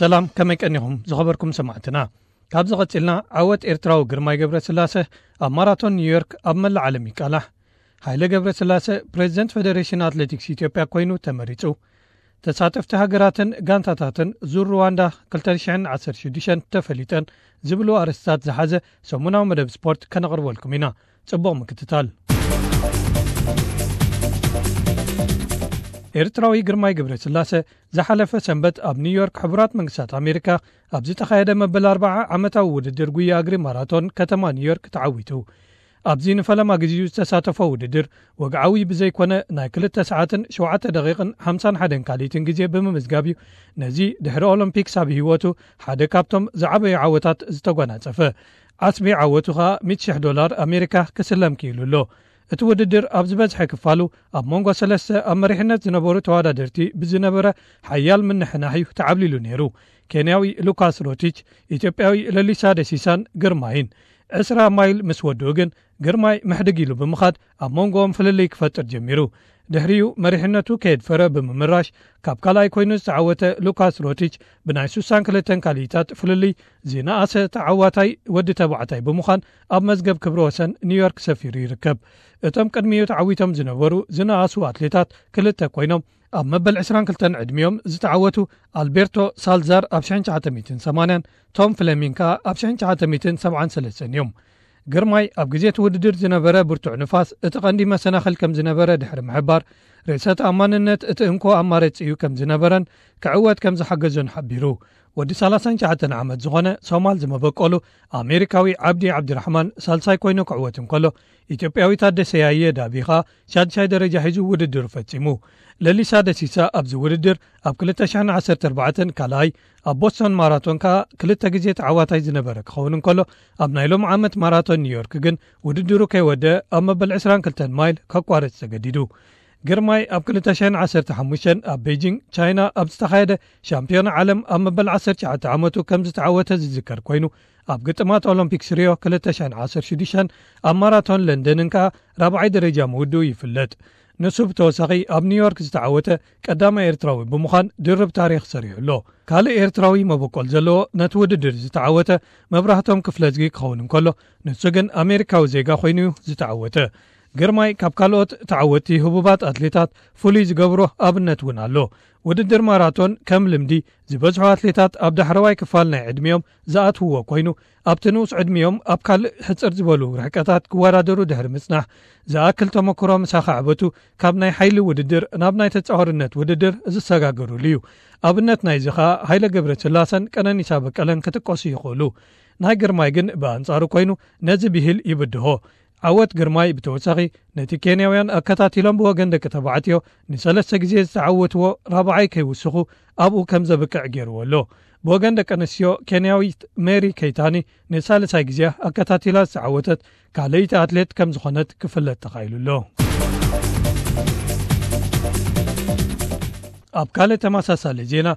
ሰላም፣ ከመይ ቀኒኹም ዝኸበርኩም ሰማዕትና? ካብዚ ቀጺልና ዓወት ኤርትራዊ ግርማይ ገብረስላሰ ኣብ ማራቶን ኒውዮርክ ኣብ መላእ ዓለም ይቃላሕ። ሃይለ ገብረስላሰ ፕሬዚደንት ፌደሬሽን ኣትሌቲክስ ኢትዮጵያ ኮይኑ ተመሪጹ። ተሳተፍቲ ሃገራትን ጋንታታትን ዙር ሩዋንዳ ክልተ ሽሕን ዓሰርተ ሽዱሽተን ተፈሊጠን ዝብሉ ኣርእስትታት ዝሓዘ ሰሙናዊ መደብ ስፖርት ከነቕርበልኩም ኢና። ጽቡቕ ምክትታል። ኤርትራዊ ግርማይ ገብረስላሰ ዝሓለፈ ሰንበት ኣብ ኒውዮርክ ሕቡራት መንግስታት ኣሜሪካ ኣብ ዝተኻየደ መበል ኣርብዓ ዓመታዊ ውድድር ጉያ እግሪ ማራቶን ከተማ ኒውዮርክ ተዓዊቱ። ኣብዚ ንፈለማ ግዜኡ ዝተሳተፎ ውድድር ወግዓዊ ብዘይኮነ ናይ ክልተ ሰዓትን ሸውዓተ ደቂቕን ሓምሳን ሓደን ካልኢትን ግዜ ብምምዝጋብ እዩ ነዚ ድሕሪ ኦሎምፒክስ ኣብ ህይወቱ ሓደ ካብቶም ዝዓበዩ ዓወታት ዝተጓናጸፈ። ዓስቢ ዓወቱ ኸኣ ሚእቲ ሽሕ ዶላር ኣሜሪካ ክስለም ክኢሉ ኣሎ። እቲ ውድድር ኣብ ዝበዝሐ ክፋሉ ኣብ መንጎ ሰለስተ ኣብ መሪሕነት ዝነበሩ ተወዳደርቲ ብዝነበረ ሓያል ምንሕናሕ እዩ ተዓብሊሉ ነይሩ። ኬንያዊ ሉካስ ሮቲች፣ ኢትዮጵያዊ ለሊሳ ደሲሳን ግርማይን። ዕስራ ማይል ምስ ወድኡ ግን ግርማይ ምሕድግ ኢሉ ብምኻድ ኣብ መንጎኦም ፍልልይ ክፈጥር ጀሚሩ። ድሕሪኡ መሪሕነቱ ከየድፈረ ብምምራሽ ካብ ካልኣይ ኮይኑ ዝተዓወተ ሉካስ ሮቲች ብናይ ስሳን ክልተን ካልኢታት ፍልልይ ዝነኣሰ ተዓዋታይ ወዲ ተባዕታይ ብምዃን ኣብ መዝገብ ክብረ ወሰን ኒውዮርክ ሰፊሩ ይርከብ። እቶም ቅድሚኡ ተዓዊቶም ዝነበሩ ዝነኣሱ ኣትሌታት ክልተ ኮይኖም ኣብ መበል ዕስራን ክልተን ዕድሚኦም ዝተዓወቱ ኣልቤርቶ ሳልዛር ኣብ ሽሕን ትሽዓተ ሚእትን ሰማንያን ቶም ፍለሚንግ ከኣ ኣብ ሽሕን ትሽዓተ ሚእትን ሰብዓን ሰለስተን እዮም። ግርማይ ኣብ ግዜ እቲ ውድድር ዝነበረ ብርቱዕ ንፋስ እቲ ቀንዲ መሰናኽል ከም ዝነበረ ድሕሪ ምሕባር፣ ርእሰ ተኣማንነት እቲ እንኮ ኣማራጺ እዩ ከም ዝነበረን ክዕወት ከም ዝሓገዞን ሓቢሩ። ወዲ ሰላሳን ትሽዓተን ዓመት ዝኾነ ሶማል ዝመበቆሉ ኣሜሪካዊ ዓብዲ ዓብድራሕማን ሳልሳይ ኮይኑ ክዕወት እንከሎ፣ ኢትዮጵያዊ ታደሰ ያየ ዳቢኻ ሻድሻይ ደረጃ ሒዙ ውድድሩ ፈጺሙ። ለሊሳ ደሲሳ ኣብዚ ውድድር ኣብ ክልተ ሽሕን ዓሰርተ ኣርባዕተን ካልኣይ፣ ኣብ ቦስቶን ማራቶን ከኣ ክልተ ግዜ ተዓዋታይ ዝነበረ ክኸውን እንከሎ፣ ኣብ ናይ ሎም ዓመት ማራቶን ኒውዮርክ ግን ውድድሩ ከይወደ ኣብ መበል ዕስራን ክልተን ማይል ከቋርጽ ተገዲዱ። ግርማይ ኣብ ክልተ ሽሕን ዓሰርተ ሓሙሽተን ኣብ ቤጂንግ ቻይና ኣብ ዝተኻየደ ሻምፒዮና ዓለም ኣብ መበል ዓሰርተ ትሽዓተ ዓመቱ ከም ዝተዓወተ ዝዝከር ኮይኑ፣ ኣብ ግጥማት ኦሎምፒክስ ሪዮ ክልተ ሽሕን ዓሰርተ ሽዱሽተን ኣብ ማራቶን ለንደንን ከኣ ራብዓይ ደረጃ ምውድኡ ይፍለጥ። ንሱ ብተወሳኺ ኣብ ኒውዮርክ ዝተዓወተ ቀዳማይ ኤርትራዊ ብምዃን ድርብ ታሪኽ ሰሪሑ ኣሎ። ካልእ ኤርትራዊ መበቆል ዘለዎ ነቲ ውድድር ዝተዓወተ መብራህቶም ክፍለዝጊ ክኸውን እንከሎ፣ ንሱ ግን ኣሜሪካዊ ዜጋ ኮይኑ እዩ ዝተዓወተ። ግርማይ ካብ ካልኦት ተዓወትቲ ህቡባት ኣትሌታት ፍሉይ ዝገብሮ ኣብነት እውን ኣሎ። ውድድር ማራቶን ከም ልምዲ ዝበዝሑ ኣትሌታት ኣብ ዳሕረዋይ ክፋል ናይ ዕድሚኦም ዝኣትውዎ ኮይኑ፣ ኣብቲ ንኡስ ዕድሚኦም ኣብ ካልእ ሕጽር ዝበሉ ርሕቀታት ክወዳደሩ ድሕሪ ምጽናሕ፣ ዝኣክል ተመክሮ ምስ ኣኻዕበቱ ካብ ናይ ሓይሊ ውድድር ናብ ናይ ተጻዋርነት ውድድር ዝሰጋገሩሉ እዩ። ኣብነት ናይዚ ኸኣ ሃይለ ገብረስላሰን ቀነኒሳ በቀለን ክጥቀሱ ይኽእሉ። ናይ ግርማይ ግን ብኣንጻሩ ኮይኑ ነዚ ብሂል ይብድሆ። ዓወት ግርማይ ብተወሳኺ ነቲ ኬንያውያን ኣከታቲሎም ብወገን ደቂ ተባዕትዮ ንሰለስተ ግዜ ዝተዓወትዎ ራብዓይ ከይውስኹ ኣብኡ ከም ዘብቅዕ ገይርዎ ኣሎ። ብወገን ደቂ ኣንስትዮ ኬንያዊት ሜሪ ኬይታኒ ንሳልሳይ ግዜ ኣከታቲላ ዝተዓወተት ካልኣይቲ ኣትሌት ከም ዝኾነት ክፍለጥ ተኻኢሉ ኣሎ። ኣብ ካልእ ተመሳሳሊ ዜና፣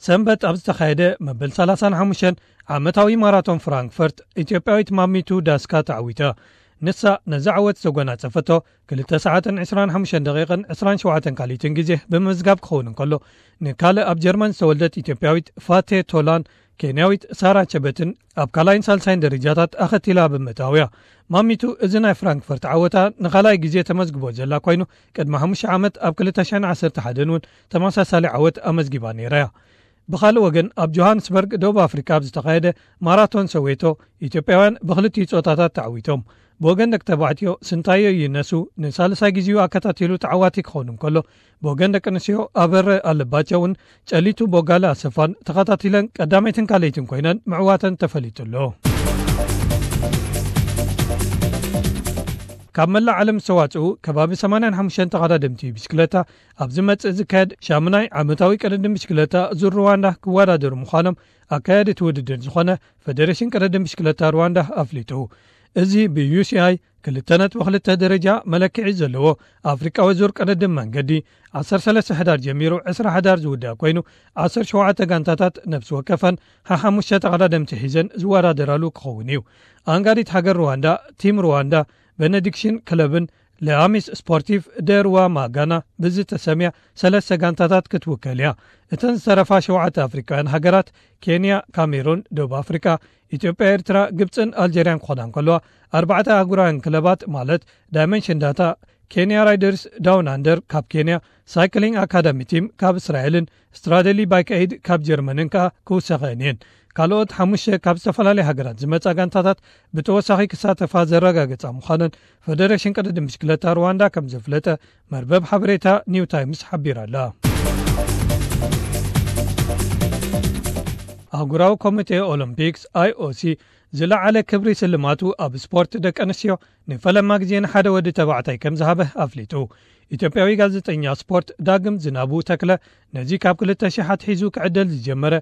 ሰንበት ኣብ ዝተኻየደ መበል ሰላሳን ሓሙሽተን ዓመታዊ ማራቶን ፍራንክፈርት፣ ኢትዮጵያዊት ማሚቱ ዳስካ ተዓዊታ። ንሳ ነዚ ዓወት ዘጎናጸፈቶ ክልተ ሰዓትን ዕስራን ሓሙሽተን ደቂቕን ዕስራን ሸውዓተን ካልኢትን ግዜ ብምምዝጋብ ክኸውን እንከሎ፣ ንካልእ ኣብ ጀርመን ዝተወልደት ኢትዮጵያዊት ፋቴ ቶላን ኬንያዊት ሳራ ቸበትን ኣብ ካልኣይን ሳልሳይን ደረጃታት ኣኸቲላ ብምእታውያ። ማሚቱ እዚ ናይ ፍራንክፈርት ዓወታ ንኻልኣይ ግዜ ተመዝግቦ ዘላ ኮይኑ፣ ቅድሚ ሓሙሽተ ዓመት ኣብ ክልተ ሽሕን ዓሰርተ ሓደን እውን ተመሳሳሊ ዓወት ኣመዝጊባ ነይራ እያ። ብኻልእ ወገን፣ ኣብ ጆሃንስበርግ ደቡብ ኣፍሪካ ኣብ ዝተኻየደ ማራቶን ሰዌቶ፣ ኢትዮጵያውያን ብክልቲኡ ጾታታት ተዓዊቶም። ብወገን ደቂ ተባዕትዮ፣ ስንታዮ ይነሱ ንሳልሳይ ግዜኡ ኣከታቲሉ ተዓዋቲ ክኸውን እንከሎ፣ ብወገን ደቂ ኣንስትዮ ኣበረ ኣለባቸው እውን ጨሊቱ ቦጋለ ኣሰፋን ተኸታቲለን ቀዳመይትን ካልኣይትን ኮይነን ምዕዋተን ተፈሊጡ ኣሎ። ካብ መላእ ዓለም ዝተዋጽኡ ከባቢ ሰማንያን ሓሙሽተን ተቐዳደምቲ ብሽክለታ ኣብ ዝመጽእ ዝካየድ ሻሙናይ ዓመታዊ ቅድድም ብሽክለታ ዙር ሩዋንዳ ክወዳደሩ ምዃኖም ኣካያዲ እቲ ውድድር ዝኾነ ፌደሬሽን ቅድድም ብሽክለታ ሩዋንዳ ኣፍሊጡ። እዚ ብ ዩ ሲ ኣይ ክልተ ነጥቢ ክልተ ደረጃ መለክዒ ዘለዎ ኣፍሪቃዊ ዙር ቅድድም መንገዲ ዓሰርተ ሰለስተ ሕዳር ጀሚሩ ዕስራ ሕዳር ዝውዳእ ኮይኑ፣ ዓሰርተ ሸውዓተ ጋንታታት ነፍሲ ወከፈን ሓሓሙሽተ ተቐዳደምቲ ሒዘን ዝወዳደራሉ ክኸውን እዩ። ኣንጋዲት ሃገር ሩዋንዳ፣ ቲም ሩዋንዳ፣ ቤኔዲክሽን ክለብን ለኣሚስ ስፖርቲቭ ደርዋ ማጋና ብዝተሰምያ ሰለስተ ጋንታታት ክትውከል እያ። እተን ዝተረፋ ሸውዓተ ኣፍሪቃውያን ሃገራት፣ ኬንያ፣ ካሜሩን፣ ደቡብ ኣፍሪቃ፣ ኢትዮጵያ፣ ኤርትራ፣ ግብጽን ኣልጀርያን ክኾና እንከለዋ፣ ኣርባዕተ ኣህጉራውያን ክለባት ማለት ዳይመንሽን ዳታ፣ ኬንያ ራይደርስ ዳውን ኣንደር ካብ ኬንያ፣ ሳይክሊንግ ኣካዳሚ ቲም ካብ እስራኤልን ስትራደሊ ባይክ ኤይድ ካብ ጀርመንን ከኣ ክውሰኸን እየን። ካልኦት ሓሙሽተ ካብ ዝተፈላለያ ሃገራት ዝመጻ ጋንታታት ብተወሳኺ ክሳተፋ ዘረጋገጻ ምዃነን ፈደረሽን ቅድድም ብሽክለታ ሩዋንዳ ከም ዘፍለጠ መርበብ ሓበሬታ ኒው ታይምስ ሓቢራ ኣላ። ኣህጉራዊ ኮሚቴ ኦሎምፒክስ፣ ኣይኦሲ፣ ዝለዓለ ክብሪ ስልማቱ ኣብ ስፖርት ደቂ ኣንስትዮ ንፈለማ ግዜ ንሓደ ወዲ ተባዕታይ ከም ዝሃበ ኣፍሊጡ። ኢትዮጵያዊ ጋዜጠኛ ስፖርት ዳግም ዝናቡ ተክለ ነዚ ካብ ክልተ ሺሕ ኣትሒዙ ክዕደል ዝጀመረ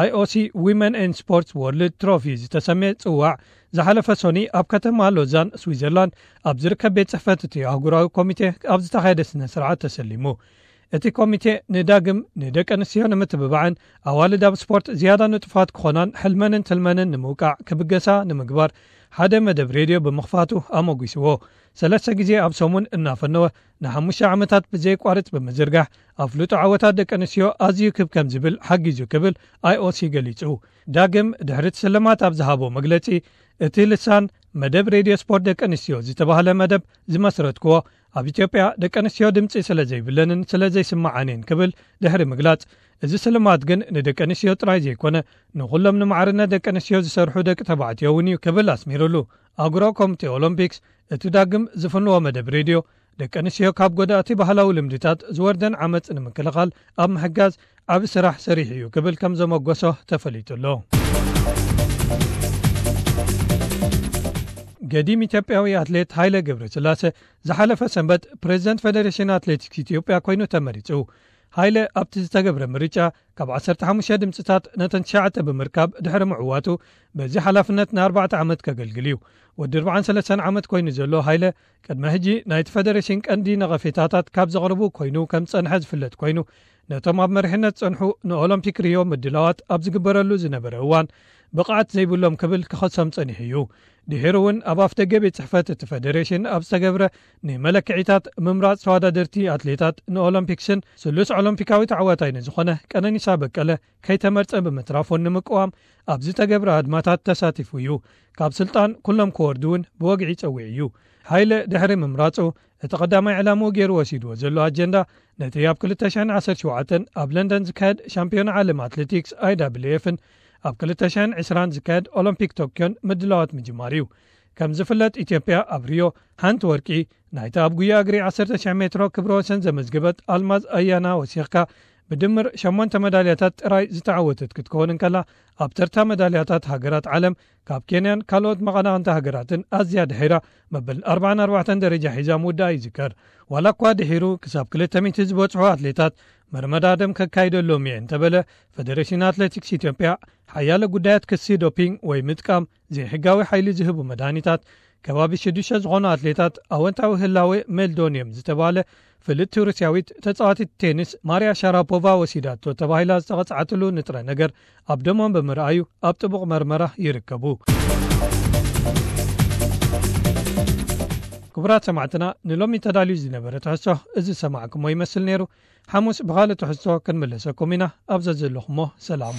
ኣይኦሲ ዊመን ኤን ስፖርትስ ወርልድ ትሮፊ ዝተሰምየ ጽዋዕ ዝሓለፈ ሶኒ ኣብ ከተማ ሎዛን ስዊዘርላንድ ኣብ ዝርከብ ቤት ጽሕፈት እቲ ኣህጉራዊ ኮሚቴ ኣብ ዝተኻየደ ስነ ስርዓት ተሰሊሙ። እቲ ኮሚቴ ንዳግም ንደቂ ኣንስትዮ ንምትብባዕን ኣዋልድ ኣብ ስፖርት ዝያዳ ንጡፋት ክኾናን ሕልመንን ትልመንን ንምውቃዕ ክብገሳ ንምግባር ሓደ መደብ ሬድዮ ብምኽፋቱ ኣሞጒስዎ። ሰለስተ ግዜ ኣብ ሰሙን እናፈነወ ንሓሙሽተ ዓመታት ብዘየቋርጽ ብምዝርጋሕ ኣፍልጦ ዓወታት ደቂ ኣንስትዮ ኣዝዩ ክብ ከም ዝብል ሓጊዙ ክብል ኣይኦሲ ገሊጹ። ዳግም ድሕሪ እቲ ስልማት ኣብ ዝሃቦ መግለጺ፣ እቲ ልሳን መደብ ሬድዮ ስፖርት ደቂ ኣንስትዮ ዝተባህለ መደብ ዝመስረትክዎ ኣብ ኢትዮጵያ ደቂ ኣንስትዮ ድምጺ ስለ ዘይብለንን ስለ ዘይስምዓንን ክብል ድሕሪ ምግላጽ፣ እዚ ስልማት ግን ንደቂ ኣንስትዮ ጥራይ ዘይኮነ ንኹሎም ንማዕርነት ደቂ ኣንስትዮ ዝሰርሑ ደቂ ተባዕትዮ እውን እዩ ክብል ኣስሚሩሉ። ኣህጉራዊ ኮሚቴ ኦሎምፒክስ እቲ ዳግም ዝፍንዎ መደብ ሬድዮ ደቂ ኣንስትዮ ካብ ጎዳእቲ ባህላዊ ልምድታት ዝወርደን ዓመጽ ንምክልኻል ኣብ ምሕጋዝ ዓቢ ስራሕ ሰሪሑ እዩ ክብል ከም ዘመጎሶ ተፈሊጡ ኣሎ። ገዲም ኢትዮጵያዊ ኣትሌት ሃይለ ገብረስላሴ ዝሓለፈ ሰንበት ፕሬዝደንት ፌዴሬሽን ኣትሌቲክስ ኢትዮጵያ ኮይኑ ተመሪጹ። ሃይለ ኣብቲ ዝተገብረ ምርጫ ካብ ዓሰርተ ሓሙሽተ ድምፅታት ነተን ትሽዓተ ብምርካብ ድሕሪ ምዕዋቱ በዚ ሓላፍነት ንኣርባዕተ ዓመት ከገልግል እዩ። ወዲ ኣርባዓን ሰለስተን ዓመት ኮይኑ ዘሎ ሃይለ ቅድሚ ሕጂ ናይቲ ፌዴሬሽን ቀንዲ ነቐፌታታት ካብ ዘቕርቡ ኮይኑ ከም ዝጸንሐ ዝፍለጥ ኮይኑ ነቶም ኣብ መሪሕነት ዝጸንሑ ንኦሎምፒክ ሪዮ ምድላዋት ኣብ ዝግበረሉ ዝነበረ እዋን ብቕዓት ዘይብሎም ክብል ክኸሶም ጸኒሑ እዩ። ድሒሩ እውን ኣብ ኣፍደገ ቤት ጽሕፈት እቲ ፌዴሬሽን ኣብ ዝተገብረ ንመለክዒታት ምምራጽ ተወዳደርቲ ኣትሌታት ንኦሎምፒክስን ስሉስ ኦሎምፒካዊ ተዓዋታይ ንዝኾነ ቀነኒሳ በቀለ ከይተመርጸ ብምትራፉን ንምቅዋም ኣብ ዝተገብረ ኣድማታት ተሳቲፉ እዩ። ካብ ስልጣን ኩሎም ክወርዱ እውን ብወግዒ ጸዊዑ እዩ። ሃይለ ድሕሪ ምምራጹ እቲ ቀዳማይ ዕላምኡ ገይሩ ወሲድዎ ዘሎ ኣጀንዳ ነቲ ኣብ ክልተ ሽሕን ዓሰርተ ሸውዓተን ኣብ ለንደን ዝካየድ ሻምፒዮን ዓለም ኣትሌቲክስ ኣይዳብልኤፍን ኣብ ክልተ ሽሕን ዕስራን ዝካየድ ኦሎምፒክ ቶክዮን ምድላዋት ምጅማር እዩ። ከም ዝፍለጥ ኢትዮጵያ ኣብ ሪዮ ሓንቲ ወርቂ ናይታ ኣብ ጉያ እግሪ ዓሰርተ ሽሕ ሜትሮ ክብረ ወሰን ዘመዝገበት ኣልማዝ ኣያና ወሲኽካ ብድምር ሸሞንተ መዳልያታት ጥራይ ዝተዓወተት ክትከውን እንከላ ኣብ ተርታ መዳልያታት ሃገራት ዓለም ካብ ኬንያን ካልኦት መቐናቕንቲ ሃገራትን ኣዝያ ድሒራ መበል ኣርባዓን ኣርባዕተን ደረጃ ሒዛ ምውዳኣ ይዝከር። ዋላ እኳ ድሒሩ ክሳብ ክልተ ሚእቲ ዝበጽሑ ኣትሌታት መርመዳድም ከካይደሎም እየ እንተበለ ፈደሬሽን ኣትሌቲክስ ኢትዮጵያ ሓያለ ጉዳያት ክሲ ዶፒንግ ወይ ምጥቃም ዘይሕጋዊ ሓይሊ ዝህቡ መድሃኒታት ከባቢ ሽዱሽተ ዝኾኑ ኣትሌታት ኣወንታዊ ህላወ ሜልዶን እዮም ዝተባለ ፍልጥቲ ሩስያዊት ተጻዋቲት ቴኒስ ማርያ ሻራፖቫ ወሲዳቶ ተባሂላ ዝተቐጽዓትሉ ንጥረ ነገር ኣብ ደሞም ብምርኣዩ ኣብ ጥቡቕ መርመራ ይርከቡ። ክቡራት ሰማዕትና ንሎሚ ተዳልዩ ዝነበረ ትሕዝቶ እዚ ዝሰማዕኩሞ ይመስል ነይሩ። ሓሙስ ብኻልእ ትሕዝቶ ክንምለሰኩም ኢና። ኣብ ዘዘለኹሞ ሰላም።